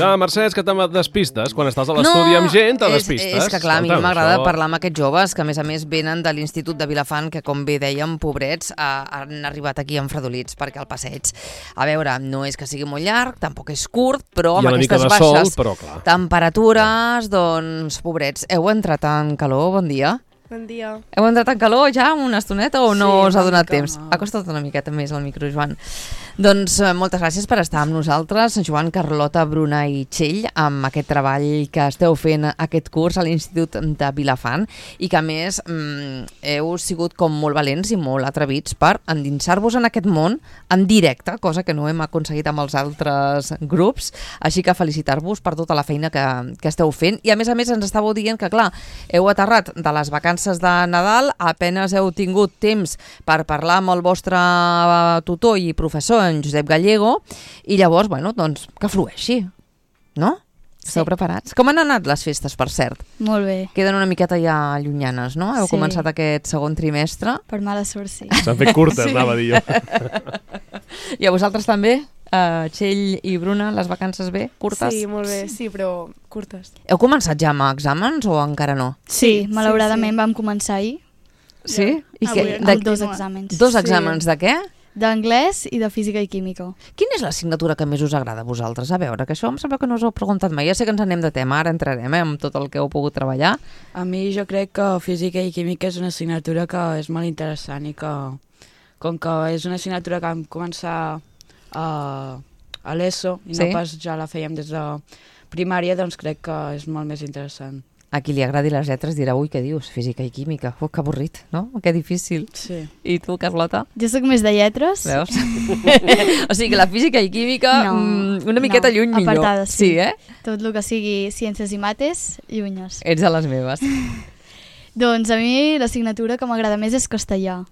Clar, Mercè, és que te despistes. Quan estàs a l'estudi amb gent, te despistes. És que clar, a mi m'agrada parlar amb aquests joves que a més venen de l'Institut de Vilafant, que com bé dèiem, pobrets, han arribat aquí enfredolits perquè el passeig, a veure, no és que sigui molt llarg, tampoc és curt, però amb aquestes baixes temperatures, doncs, pobrets, heu entrat en calor, bon dia. Bon dia. Heu entrat en calor ja una estoneta o no us ha donat temps? Ha costat una miqueta més el micro, Joan. Doncs moltes gràcies per estar amb nosaltres, Joan, Carlota, Bruna i Txell, amb aquest treball que esteu fent aquest curs a l'Institut de Vilafant i que a més heu sigut com molt valents i molt atrevits per endinsar-vos en aquest món en directe, cosa que no hem aconseguit amb els altres grups, així que felicitar-vos per tota la feina que esteu fent i a més ens estàveu dient que clar, heu aterrat de les vacances de Nadal, apenes heu tingut temps per parlar amb el vostre tutor i professor, en Josep Gallego, i llavors, bueno, doncs, que flueixi, no? Sí. Esteu preparats? Com han anat les festes, per cert? Molt bé. Queden una miqueta ja llunyanes, no? Heu començat aquest segon trimestre. Per mala sort, sí. S'han fet curtes, anava a dir jo. I a vosaltres també? Txell i Bruna, les vacances bé? Curtes? Sí, molt bé, sí, però curtes. Heu començat ja amb exàmens o encara no? Sí, malauradament vam començar ahir. Sí? I amb 2 exàmens. 2 exàmens de què? D'anglès i de física i química. Quina és l'assignatura que més us agrada a vosaltres? A veure, que això em sembla que no us ho he preguntat mai. Ja sé que ens anem de tema, ara entrarem amb tot el que heu pogut treballar. A mi jo crec que física i química és una assignatura que és molt interessant i que, com que és una assignatura que vam començar a l'ESO i no pas ja la fèiem des de primària, doncs crec que és molt més interessant. A qui li agradi les lletres dirà, ui, què dius? Física i química. Que avorrit, no? Que difícil. Sí. I tu, Carlota? Jo sóc més de lletres. Veus? O sigui que la física i química una miqueta lluny millor. Apartades, sí. Tot el que sigui ciències i mates, llunyes. Ets de les meves. Doncs a mi l'assignatura que m'agrada més és castellà.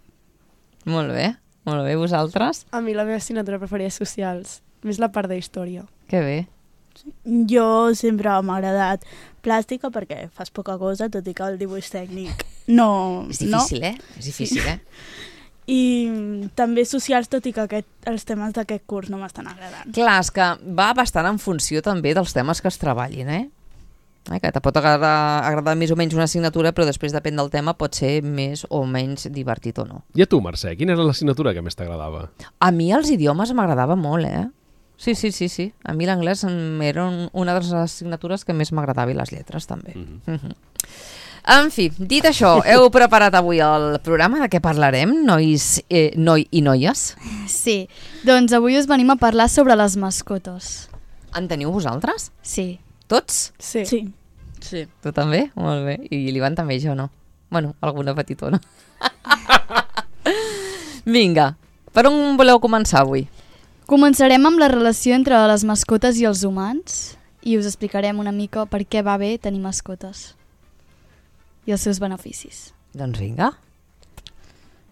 Molt bé. Vosaltres? A mi la meva assignatura preferida és socials. Més la part de història. Que bé. Jo sempre m'ha agradat plàstica perquè fas poca cosa, tot i que el dibuix tècnic no... És difícil, no? És difícil, I també socials, tot i que els temes d'aquest curs no m'estan agradant. Clar, és que va bastant en funció també dels temes que es treballin, que te pot agradar més o menys una assignatura, però després depèn del tema, pot ser més o menys divertit o no. I a tu, Mercè, quina era l'assignatura que més t'agradava? A mi els idiomes m'agradava molt, Sí. A mi l'anglès era una de les assignatures que més m'agradava i les lletres també. En fi, dit això, heu preparat avui el programa? De què parlarem, nois i noies? Sí, doncs avui us venim a parlar sobre les mascotes. En teniu vosaltres? Sí. Tots? Sí. Tu també? Molt bé. I l'Ivan també, jo no. Bueno, alguna petitona. Vinga, per on voleu començar avui? Començarem amb la relació entre les mascotes i els humans i us explicarem una mica per què va bé tenir mascotes i els seus beneficis. Doncs vinga.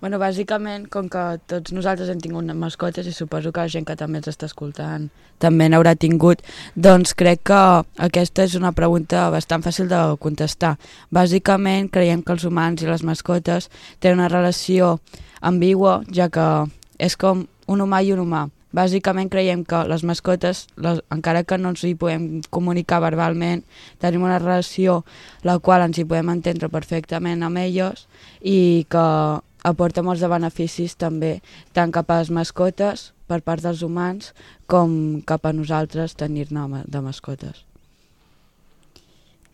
Bueno, bàsicament, com que tots nosaltres hem tingut mascotes i suposo que la gent que també ens està escoltant també n'haurà tingut, doncs crec que aquesta és una pregunta bastant fàcil de contestar. Bàsicament, creiem que els humans i les mascotes tenen una relació ambigua, ja que és com un humà i un humà. Bàsicament creiem que les mascotes, encara que no ens hi podem comunicar verbalment, tenim una relació la qual ens hi podem entendre perfectament amb elles i que aporta molts de beneficis també, tant cap a les mascotes per part dels humans com cap a nosaltres tenir-ne de mascotes.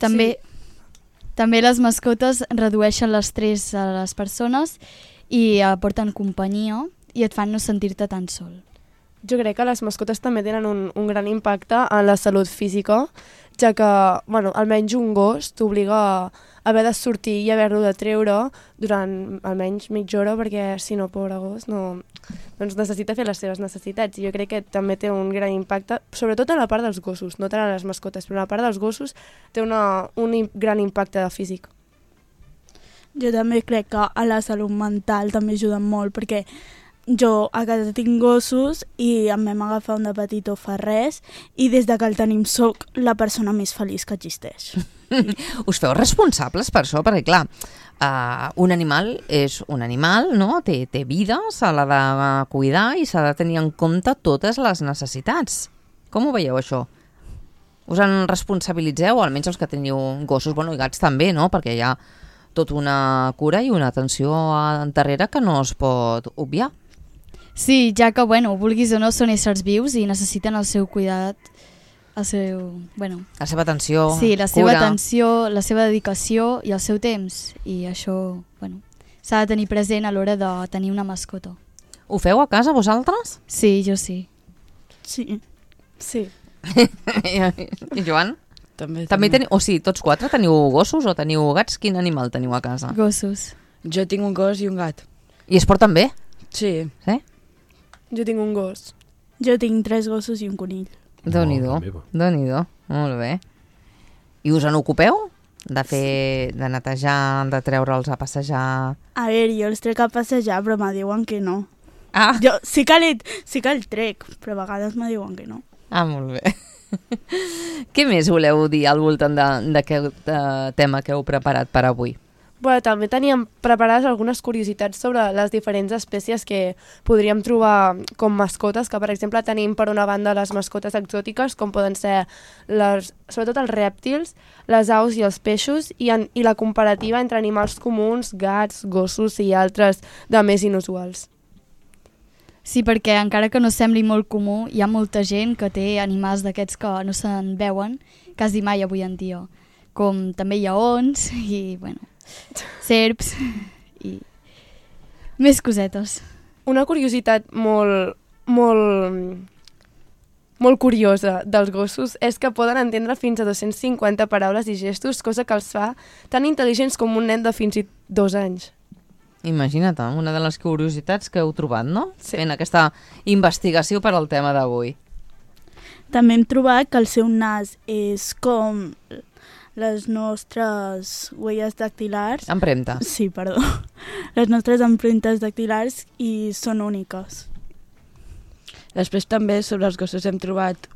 També les mascotes redueixen l'estrès a les persones i aporten companyia i et fan no sentir-te tan sol. Jo crec que les mascotes també tenen un gran impacte en la salut física, ja que, almenys un gos t'obliga a haver de sortir i haver-lo de treure durant almenys mitja hora, perquè si no, pobre gos, doncs necessita fer les seves necessitats. I jo crec que també té un gran impacte, sobretot a la part dels gossos, no tant a les mascotes, però a la part dels gossos té un gran impacte físic. Jo també crec que a la salut mental també ajuden molt, perquè jo a casa tinc gossos i em vam agafar un de petitó fa res i des de que el tenim soc la persona més feliç que existeix. Us feu responsables per això? Perquè clar, un animal és un animal, no? Té vida, se l'ha de cuidar i s'ha de tenir en compte totes les necessitats. Com ho veieu això? Us en responsabilitzeu, almenys els que teniu gossos, bueno, i gats també, no? Perquè hi ha tota una cura i una atenció darrere que no es pot obviar. Sí, ja que, bueno, vulguis o no, són éssers vius i necessiten el seu cuidat, el seu, bueno... La seva atenció, sí, la seva cura. atenció, la seva dedicació i el seu temps. I això, bueno, s'ha de tenir present a l'hora de tenir una mascota. Ho feu a casa, vosaltres? Sí, jo sí. Sí. Sí. I Joan? També Teniu, o sigui, tots quatre teniu gossos o teniu gats? Quin animal teniu a casa? Gossos. Jo tinc un gos i un gat. I es porten bé? Sí. Sí? Jo tinc un gos. Jo tinc 3 gossos i un conill. Déu-n'hi-do, Déu-n'hi-do, molt bé. I us en ocupeu? De netejar, de treure'ls a passejar... A veure, jo els trec a passejar, però me diuen que no. Ah, Jo sí que el trec, però a vegades me diuen que no. molt bé. Què més voleu dir al voltant d'aquest tema que heu preparat per avui? Bueno, també teníem preparades algunes curiositats sobre les diferents espècies que podríem trobar com mascotes, que per exemple tenim per una banda les mascotes exòtiques, com poden ser sobretot els rèptils, les aus i els peixos, i la comparativa entre animals comuns, gats, gossos i altres de més inusuals. Sí, perquè encara que no sembli molt comú, hi ha molta gent que té animals d'aquests que no se'n veuen quasi mai avui en dia, com també lleons i, bueno, serps i més cosetes. Una curiositat molt curiosa dels gossos és que poden entendre fins a 250 paraules i gestos, cosa que els fa tan intel·ligents com un nen de fins i 2 anys. Imagina't, una de les curiositats que heu trobat, no? Sí. Fent aquesta investigació per al tema d'avui. També hem trobat que el seu nas és com les nostres huelles dactilars. Empremtes. Sí, perdó. Les nostres empremtes dactilars i són úniques. Després també sobre els gossos hem trobat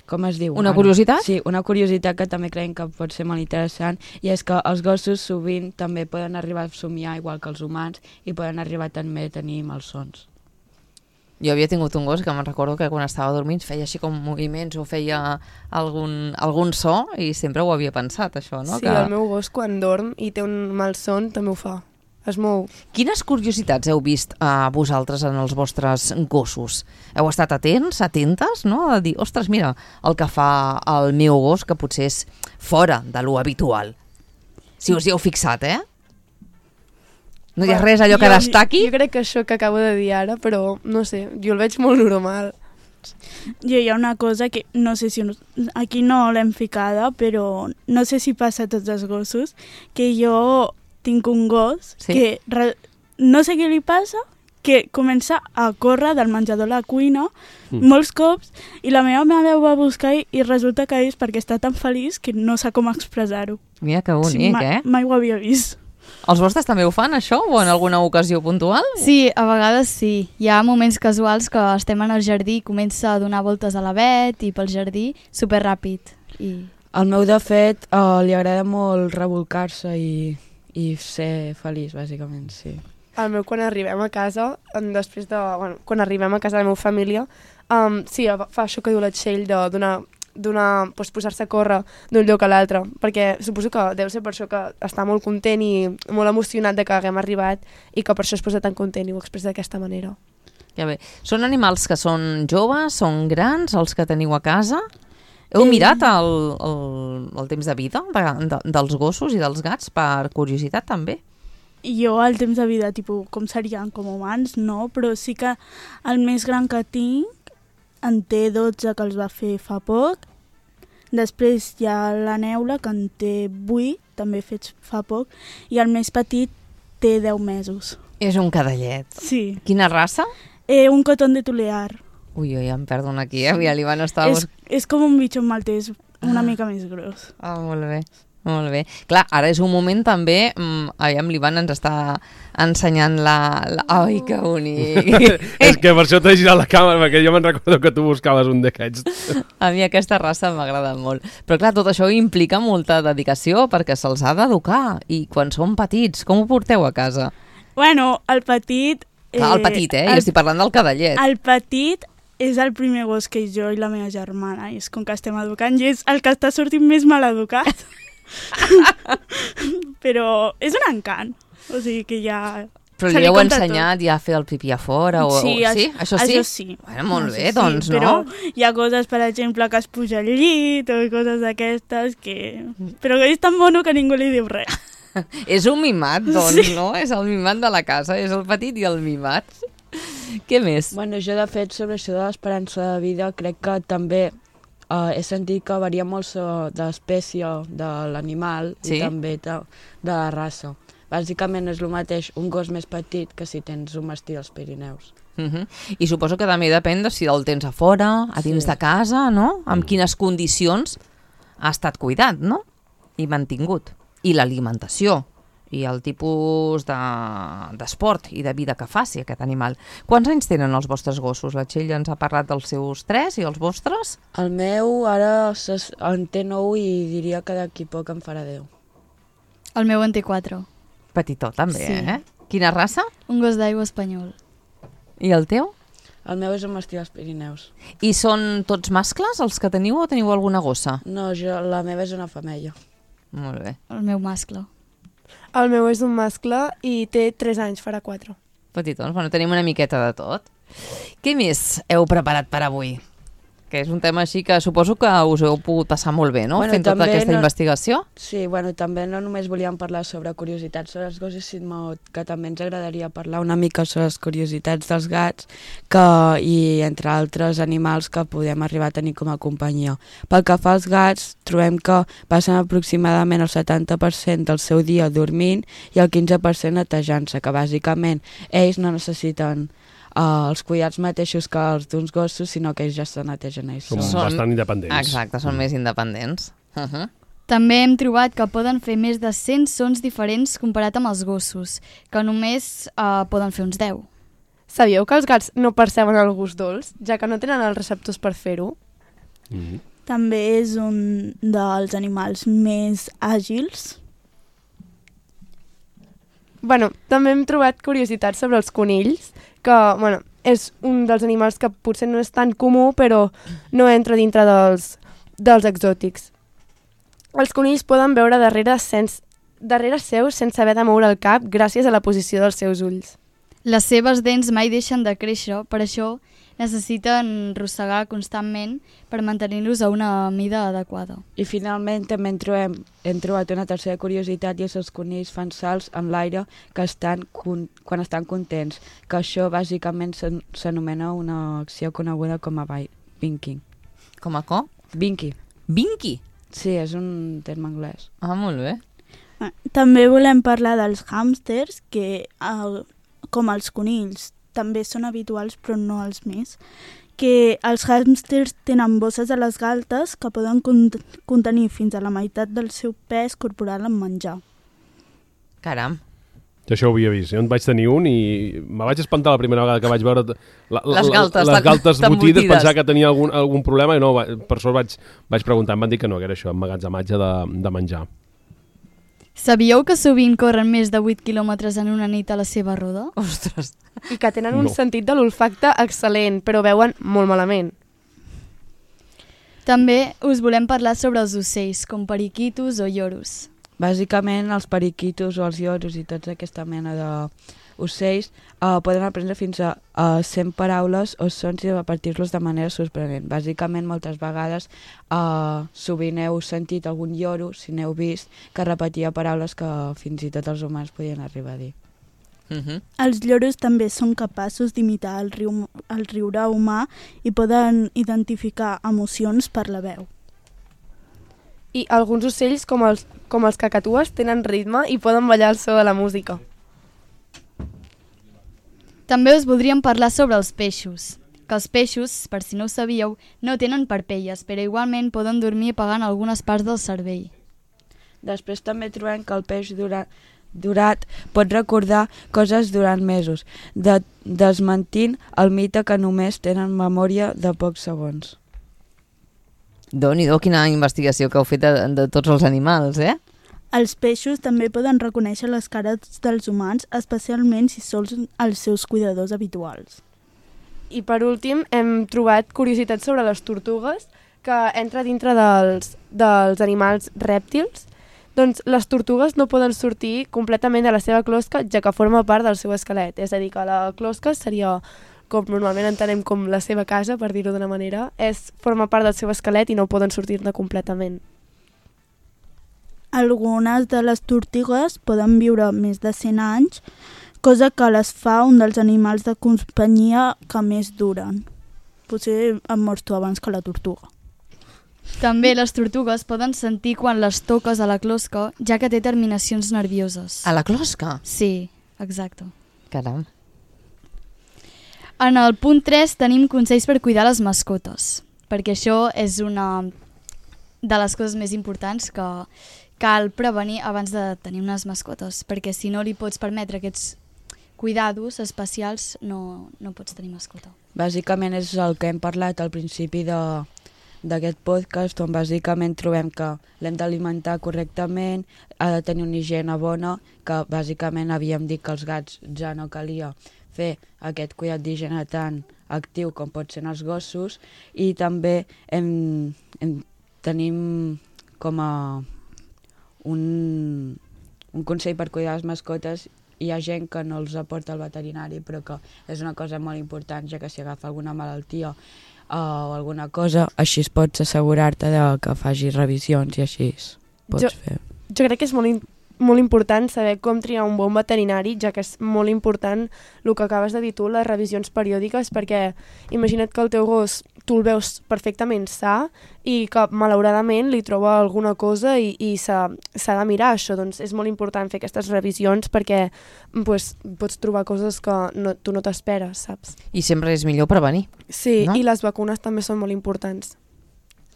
com es diu? Una curiositat? Sí, una curiositat que també creiem que pot ser molt interessant, i és que els gossos sovint també poden arribar a somiar igual que els humans i poden arribar també a tenir malsons. Jo havia tingut un gos que me'n recordo que quan estava dormint feia així com moviments o feia algun so i sempre ho havia pensat, això, no? Sí, el meu gos quan dorm i té un malson també ho fa. Es mou. Quines curiositats heu vist vosaltres en els vostres gossos? Heu estat atentes, no? A dir, ostres, mira, el que fa el meu gos, que potser és fora de lo habitual. Si us hi heu fixat, No hi ha res allò que destaqui? Jo crec que això que acabo de dir ara, però no sé, jo el veig molt normal. Jo hi ha una cosa que no sé si aquí no l'hem ficada, però no sé si passa a tots els gossos, que jo tinc un gos que no sé què li passa, que comença a córrer del menjador a la cuina molts cops, i la meva mare ho va buscar i resulta que és perquè està tan feliç que no sap com expressar-ho. Mira que bonic, Mai ho havia vist. Els vostres també ho fan, això? O en alguna ocasió puntual? Sí, a vegades sí. Hi ha moments casuals que estem en el jardí i comença a donar voltes a l'avet i pel jardí superràpid. El meu, de fet, li agrada molt revolcar-se i ser feliç, bàsicament, sí. El meu, quan arribem a casa, quan arribem a casa de la meva família, sí, fa això que diu la Txell de posar-se a córrer d'un lloc a l'altre, perquè suposo que deu ser per això que està molt content i molt emocionat de que haguem arribat i que per això es posa tan content i ho expressa d'aquesta manera. Ja bé. Són animals que són joves, són grans, els que teniu a casa? Heu mirat el temps de vida dels gossos i dels gats per curiositat també? Jo el temps de vida, com serien com humans, no, però sí que el més gran que tinc en té 12, que els va fer fa poc. Després hi ha la Neula, que en té 8, també fets fa poc. I el més petit té 10 mesos. És un cadellet. Sí. Quina raça? Un coton de Tulear. Ui, ja em perdo aquí, l'Ivan estava... És com un bitxon maltès, una mica més gros. Molt bé. Molt bé. Clar, ara és un moment també... l'Ivan ens està ensenyant Ai, que bonic! És que per això t'he girat la càmera, perquè jo me'n recordo que tu buscaves un d'aquests. A mi aquesta raça m'agrada molt. Però clar, tot això implica molta dedicació perquè se'ls ha d'educar. I quan són petits, com ho porteu a casa? Bueno, el petit... Clar, el petit, jo estic parlant del cadellet. El petit és el primer gos que jo i la meva germana, i és com que estem educant, i és el que està sortint més mal educat. Però és un encant, o sigui que ja... Però li heu ensenyat ja a fer el pipí a fora? Sí, sí? Això sí? Això sí. Bueno, molt bé, Sí, doncs, no? però hi ha coses, per exemple, que es puja al llit o coses d'aquestes que... Però que és tan mono que ningú li diu res. És un mimat, doncs, no? És el mimat de la casa, és el petit i el mimat. Què més? Bueno, jo, de fet, sobre això de l'esperança de vida, crec que també he sentit que varia molt de l'espècie de l'animal Sí? i també de la raça. Bàsicament és el mateix un gos més petit que si tens un mastí als Pirineus. I suposo que també depèn de si el tens a fora, a dins de casa, no? Amb quines condicions ha estat cuidat, no? I mantingut. I l'alimentació, i el tipus d'esport i de vida que faci aquest animal. Quants anys tenen els vostres gossos? La Txell ens ha parlat dels seus 3 i els vostres? El meu ara en té 9 i diria que d'aquí poc en farà 10. El meu en té 4. Petitó, també, Sí. Quina raça? Un gos d'aigua espanyol. I el teu? El meu és un mastí als Pirineus. I són tots mascles els que teniu o teniu alguna gossa? No, la meva és una femella. Molt bé. El meu mascle. El meu és un mascle i té 3 anys, farà 4. Petitons, bueno, tenim una miqueta de tot. Què més heu preparat per avui? Que és un tema així que suposo que us heu pogut passar molt bé, no? Bueno, Fent tota també aquesta no- investigació. Sí, bueno, també no només volíem parlar sobre curiositats sobre els gossos, sinó que també ens agradaria parlar una mica sobre les curiositats dels gats i entre altres animals que podem arribar a tenir com a companyia. Pel que fa als gats, trobem que passen aproximadament el 70% del seu dia dormint i el 15% netejant-se, que bàsicament ells no necessiten els cuidats mateixos que els d'uns gossos, sinó que ells ja se netegen ells Són sols. bastant independents. Exacte, són més independents. També hem trobat que poden fer més de 100 sons diferents comparat amb els gossos, que només poden fer uns 10. Sabíeu que els gats no perceben el gust dolç, ja que no tenen els receptors per fer-ho? També és un dels animals més àgils. Bueno, també hem trobat curiositats sobre els conills, que és un dels animals que potser no és tan comú, però no entra dintre dels exòtics. Els conills poden veure darrere seu sense haver de moure el cap gràcies a la posició dels seus ulls. Les seves dents mai deixen de créixer, per això necessiten rossegar constantment per mantenir-los a una mida adequada. I finalment també hem trobat una tercera curiositat, i és els conills fan salts en l'aire quan estan contents, que això bàsicament s'anomena una acció coneguda com a winking. Com a co? Winky. Vinky? Sí, és un terme anglès. Ah, molt bé. També volem parlar dels hàmsters, que com els conills també són habituals, però no els més, que els hàmsters tenen bosses a les galtes que poden contenir fins a la meitat del seu pes corporal en menjar. Caram. Jo això ho havia vist. Jo en vaig tenir un i me vaig espantar la primera vegada que vaig veure Les galtes les galtes tan botides, botides. pensar que tenia algun problema i no, per sort vaig preguntar, em van dir que no, que era això, emmagatzematge de menjar. Sabíeu que sovint corren més de 8 quilòmetres en una nit a la seva roda? Ostres. I que tenen un No. sentit de l'olfacte excel·lent, però veuen molt malament. També us volem parlar sobre els ocells, com periquitos o lloros. Bàsicament, els periquitos o els lloros i tota aquesta mena d'ocells poden aprendre fins a 100 paraules o sons i repetir-los de manera sorprenent. Bàsicament, moltes vegades sovint heu sentit algun lloro, si n'heu vist, que repetia paraules que fins i tot els humans podien arribar a dir. Els lloros també són capaços d'imitar el riure humà i poden identificar emocions per la veu. I alguns ocells, com els cacatues, tenen ritme i poden ballar al so de la música. També us voldríem parlar sobre els peixos. Que els peixos, per si no ho sabíeu, no tenen parpelles, però igualment poden dormir apagant algunes parts del cervell. Després també trobem que el peix durat pot recordar coses durant mesos, desmentint el mite que només tenen memòria de pocs segons. Déu-n'hi-do, quina investigació que heu fet de tots els animals, eh? Els peixos també poden reconèixer les cares dels humans, especialment si són els seus cuidadors habituals. I per últim hem trobat curiositats sobre les tortugues, que entra dintre dels animals rèptils. Doncs les tortugues no poden sortir completament de la seva closca, ja que forma part del seu esquelet. És a dir, que la closca seria, com normalment entenem com la seva casa, per dir-ho d'una manera, forma part del seu esquelet i no poden sortir-ne completament. Algunes de les tortugues poden viure més de 100 anys, cosa que les fa un dels animals de companyia que més duren. Potser em mors tu abans que la tortuga. També les tortugues poden sentir quan les toques a la closca, ja que té terminacions nervioses. A la closca? Sí, exacte. Caram. En el punt 3 tenim consells per cuidar les mascotes, perquè això és una de les coses més importants que cal prevenir abans de tenir unes mascotes, perquè si no li pots permetre aquests cuidados especials no pots tenir mascota. Bàsicament és el que hem parlat al principi d'aquest podcast, on bàsicament trobem que l'hem d'alimentar correctament, ha de tenir una higiene bona, que bàsicament havíem dit que els gats ja no calia fer aquest cuidat d'higiene tan actiu com pot ser en els gossos, i també tenim com a un consell per cuidar les mascotes. Hi ha gent que no els aporta al veterinari, però que és una cosa molt important, ja que si agafa alguna malaltia o alguna cosa, així pots assegurar-te que facis revisions i així pots fer. Jo crec que és molt important saber com triar un bon veterinari, ja que és molt important el que acabes de dir tu, les revisions periòdiques, perquè imagina't que el teu gos tu el veus perfectament sa i que malauradament li troba alguna cosa i s'ha de mirar això. Doncs és molt important fer aquestes revisions perquè pots trobar coses que tu no t'esperes, saps? I sempre és millor prevenir. Sí, no? I les vacunes també són molt importants.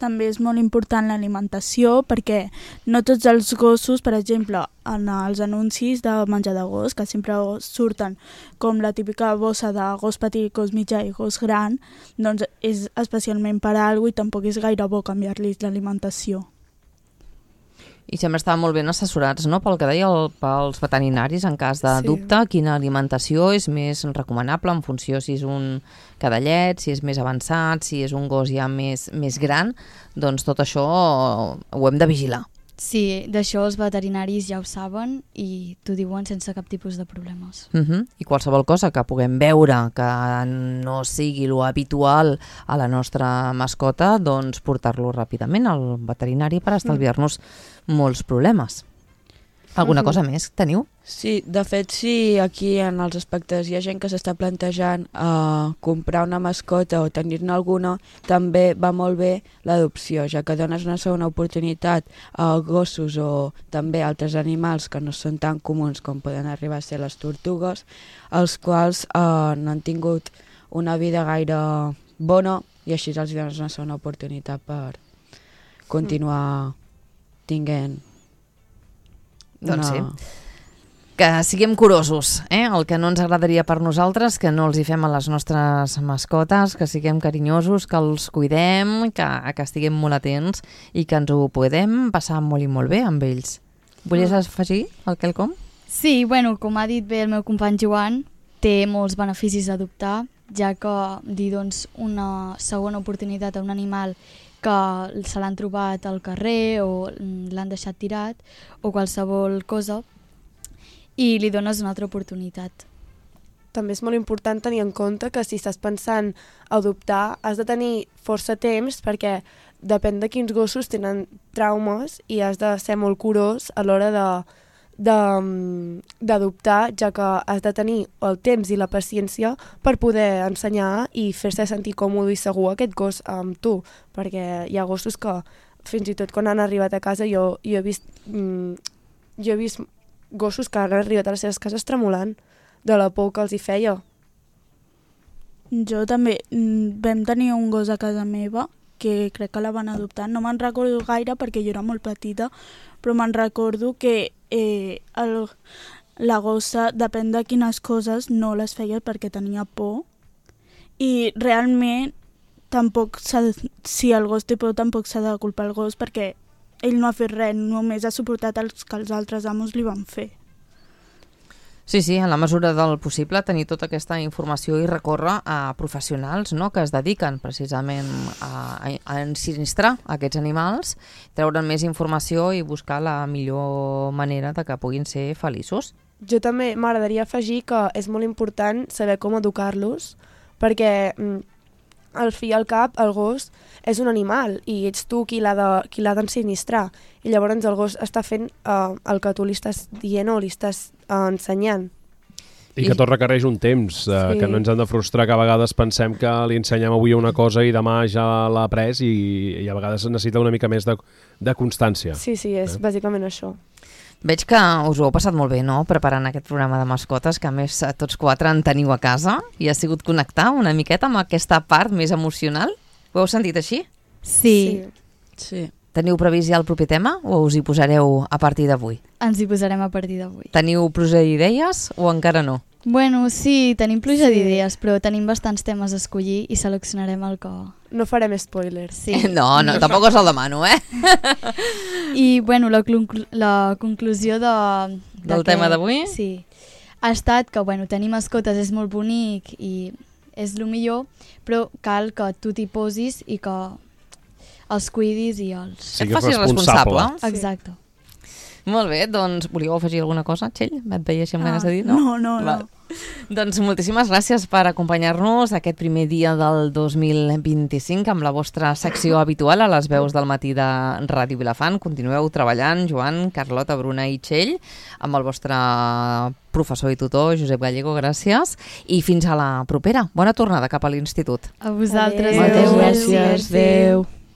També és molt important l'alimentació, perquè no tots els gossos, per exemple, en els anuncis de menjar de gos, que sempre surten com la típica bossa de gos petit, gos mitjà i gos gran, doncs és especialment per a alguna cosa i tampoc és gaire bo canviar-los l'alimentació. I sempre estaven molt ben assessorats, no?, pel que deia pels veterinaris en cas de dubte, quina alimentació és més recomanable en funció si és un cadallet, si és més avançat, si és un gos ja més gran, doncs tot això ho hem de vigilar. Sí, d'això els veterinaris ja ho saben i t'ho diuen sense cap tipus de problemes. I qualsevol cosa que puguem veure que no sigui lo habitual a la nostra mascota, doncs portar-lo ràpidament al veterinari per estalviar-nos molts problemes. Alguna cosa més teniu? Sí, de fet, sí, aquí en els aspectes hi ha gent que s'està plantejant comprar una mascota o tenir-ne alguna, també va molt bé l'adopció, ja que dones una segona oportunitat a gossos o també altres animals que no són tan comuns com poden arribar a ser les tortugues, els quals no han tingut una vida gaire bona i així els dones una segona oportunitat per continuar tinguent. Doncs sí. Que siguem curosos, el que no ens agradaria per nosaltres, que no els hi fem a les nostres mascotes, que siguem carinyosos, que els cuidem, que estiguem molt atents i que ens ho podem passar molt i molt bé amb ells. Volies afegir el quelcom? Sí, bueno, com ha dit bé el meu company Joan, té molts beneficis adoptar, ja que dir doncs, una segona oportunitat a un animal que se l'han trobat al carrer o l'han deixat tirat o qualsevol cosa i li dones una altra oportunitat. També és molt important tenir en compte que si estàs pensant adoptar has de tenir força temps perquè depèn de quins gossos tenen traumes i has de ser molt curós a l'hora d'adoptar, ja que has de tenir el temps i la paciència per poder ensenyar i fer-se sentir còmode i segur aquest gos amb tu, perquè hi ha gossos que fins i tot quan han arribat a casa jo he vist gossos que han arribat a les seves cases tremolant de la por que els hi feia. Jo també vam tenir un gos a casa meva que crec que la van adoptar, no me'n recordo gaire perquè jo era molt petita, però me'n recordo que la gossa, depèn de quines coses, no les feia perquè tenia por i realment tampoc si el gos té por tampoc s'ha de culpar el gos perquè ell no ha fet res, només ha suportat els que els altres amos li van fer. Sí, sí, en la mesura del possible tenir tota aquesta informació i recórrer a professionals, no?, que es dediquen precisament a ensinistrar aquests animals, treure'n més informació i buscar la millor manera de que puguin ser feliços. Jo també m'agradaria afegir que és molt important saber com educar-los, perquè al fi i al cap el gos és un animal i ets tu qui l'ha d'ensinistrar. I llavors el gos està fent el que tu li estàs dient o li estàs ensenyant. I que tot requereix un temps, que no ens han de frustrar, que a vegades pensem que li ensenyem avui una cosa i demà ja l'ha après i a vegades necessita una mica més de constància. Sí, és bàsicament això. Veig que us ho heu passat molt bé, no?, preparant aquest programa de mascotes, que a més tots 4 en teniu a casa i ha sigut connectar una miqueta amb aquesta part més emocional. Ho heu sentit així? Sí. Teniu previst ja el proper tema o us hi posareu a partir d'avui? Ens hi posarem a partir d'avui. Teniu pluja d'idees o encara no? Bueno, sí, tenim pluja d'idees, però tenim bastants temes a escollir i seleccionarem el que... No farem spoilers. Sí. No, tampoc us el demano, I, bueno, la conclusió del tema d'avui? Sí. Ha estat que, bueno, tenir mascotes és molt bonic i és el millor, però cal que tu t'hi posis i que els cuidis i els... Et facis responsable. Exacte. Molt bé, doncs volíeu afegir alguna cosa, Txell? Et veia així amb ganes de dir, no? No. Doncs moltíssimes gràcies per acompanyar-nos aquest primer dia del 2025 amb la vostra secció habitual a les veus del matí de Ràdio Vilafant. Continueu treballant, Joan, Carlota, Bruna i Txell, amb el vostre professor i tutor, Josep Gallego, gràcies. I fins a la propera. Bona tornada cap a l'institut. A vosaltres. Moltes gràcies. Adéu.